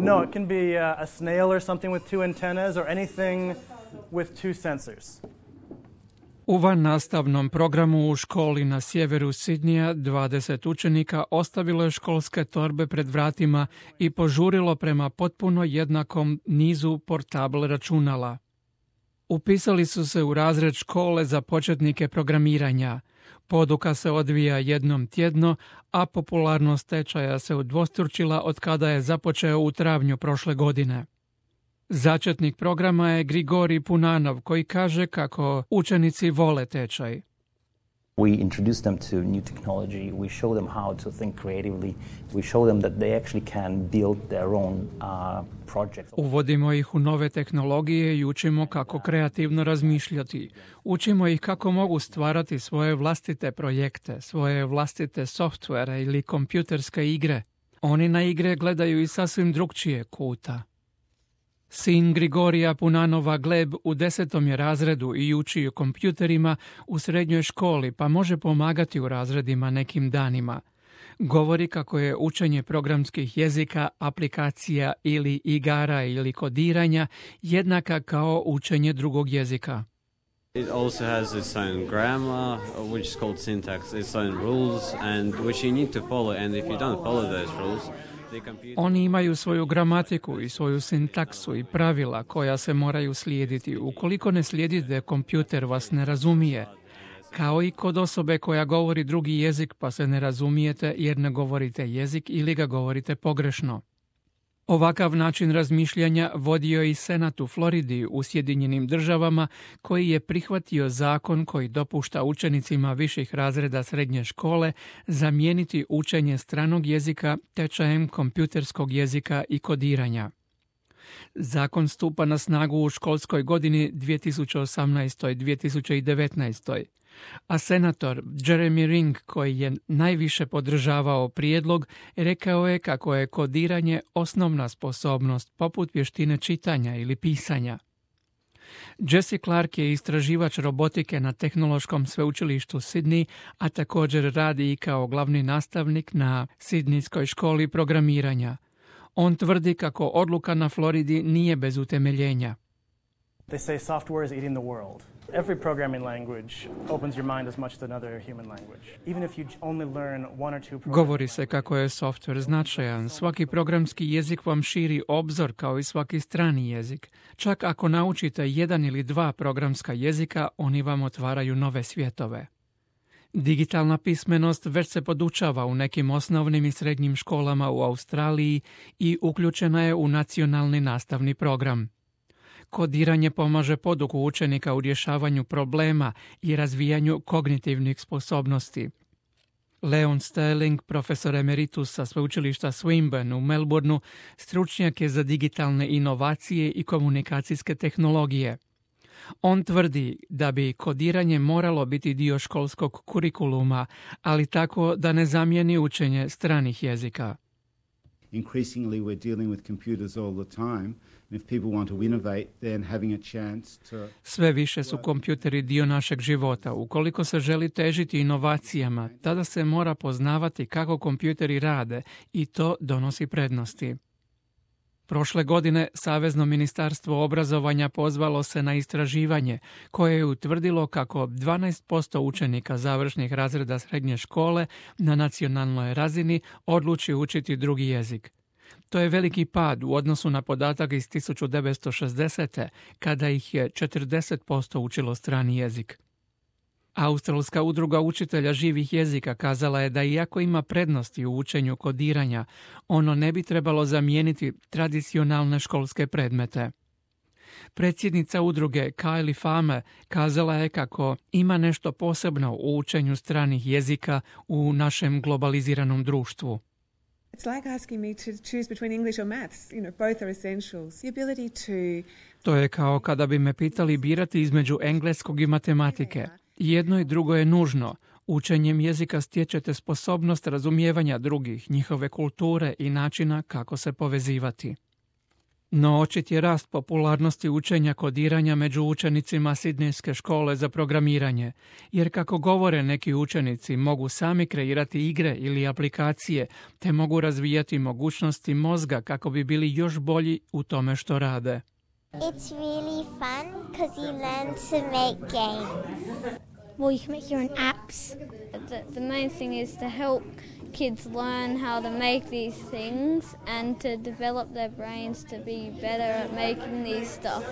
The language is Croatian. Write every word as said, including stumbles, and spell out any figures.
No, it can be a, a snail or something with two antennas or anything with two sensors. U vannastavnom programu u školi na sjeveru Sidnija dvadeset učenika ostavilo je školske torbe pred vratima i požurilo prema potpuno jednakom nizu portable računala. Upisali su se u razred škole za početnike programiranja. Poduka se odvija jednom tjedno, a popularnost tečaja se udvostručila od kada je započeo u travnju prošle godine. Začetnik programa je Grigorij Punanov, koji kaže kako učenici vole tečaj. We introduce them to new technology, we show them how to think creatively, we show them that they actually can build their own uh, projects. Uvodimo ih u nove tehnologije i učimo kako kreativno razmišljati. Učimo ih kako mogu stvarati svoje vlastite projekte, svoje vlastite softvere ili kompjuterske igre. Oni na igre gledaju iz sasvim drugčije kuta. Sin Grigorija Punanova Gleb u desetom je razredu i uči o kompjuterima u srednjoj školi, pa može pomagati u razredima nekim danima. Govori kako je učenje programskih jezika, aplikacija ili igara ili kodiranja jednaka kao učenje drugog jezika. It also has its own grammar, which is called syntax, its own rules, and which you need to follow, and if you don't follow those rules, oni imaju svoju gramatiku i svoju sintaksu i pravila koja se moraju slijediti. Ukoliko ne slijedite, kompjuter vas ne razumije. Kao i kod osobe koja govori drugi jezik pa se ne razumijete jer ne govorite jezik ili ga govorite pogrešno. Ovakav način razmišljanja vodio i Senat u Floridi u Sjedinjenim državama, koji je prihvatio zakon koji dopušta učenicima viših razreda srednje škole zamijeniti učenje stranog jezika tečajem kompjuterskog jezika i kodiranja. Zakon stupa na snagu u školskoj godini dvije tisuće osamnaeste. dvije tisuće devetnaeste. A senator Jeremy Ring, koji je najviše podržavao prijedlog, rekao je kako je kodiranje osnovna sposobnost poput vještine čitanja ili pisanja. Jesse Clark je istraživač robotike na Tehnološkom sveučilištu Sydney, a također radi i kao glavni nastavnik na Sidnijskoj školi programiranja. On tvrdi kako odluka na Floridi nije bez utemeljenja. They say software is eating the world. Every programming language opens your mind as much as another human language. Even if you only learn one or two programs. Govori se kako je software značajan. Svaki programski jezik vam širi obzor kao i svaki strani jezik. Čak ako naučite jedan ili dva programska jezika, oni vam otvaraju nove svjetove. Digitalna pismenost već se podučava u nekim osnovnim i srednjim školama u Australiji i uključena je u nacionalni nastavni program. Kodiranje pomaže poduku učenika u rješavanju problema i razvijanju kognitivnih sposobnosti. Leon Sterling, profesor emeritus sa sveučilišta Swinburne u Melbourneu, stručnjak je za digitalne inovacije i komunikacijske tehnologije. On tvrdi da bi kodiranje moralo biti dio školskog kurikuluma, ali tako da ne zamijeni učenje stranih jezika. Increasingly we're dealing with computers all the time. If people want to innovate, then having a chance to... Sve više su kompjuteri dio našeg života. Ukoliko se želi težiti inovacijama, tada se mora poznavati kako kompjuteri rade i to donosi prednosti. Prošle godine Savezno ministarstvo obrazovanja pozvalo se na istraživanje koje je utvrdilo kako dvanaest posto učenika završnih razreda srednje škole na nacionalnoj razini odluči učiti drugi jezik. To je veliki pad u odnosu na podatak iz tisuću devetsto šezdesete. kada ih je četrdeset posto učilo strani jezik. Australska udruga učitelja živih jezika kazala je da iako ima prednosti u učenju kodiranja, ono ne bi trebalo zamijeniti tradicionalne školske predmete. Predsjednica udruge Kylie Farmer kazala je kako ima nešto posebno u učenju stranih jezika u našem globaliziranom društvu. It's like asking me to choose between English or maths. You know, both are essentials. The ability to... To je kao kada bi me pitali birati između engleskog i matematike. Jedno i drugo je nužno. Učenjem jezika stječete sposobnost razumijevanja drugih, njihove kulture i načina kako se povezivati. No očit je rast popularnosti učenja kodiranja među učenicima Sidnejske škole za programiranje, jer kako govore neki učenici mogu sami kreirati igre ili aplikacije, te mogu razvijati mogućnosti mozga kako bi bili još bolji u tome što rade. It's really fun because you learn to make games. Well, you can make your own apps. The, the main thing is to help kids learn how to make these things and to develop their brains to be better at making these stuff.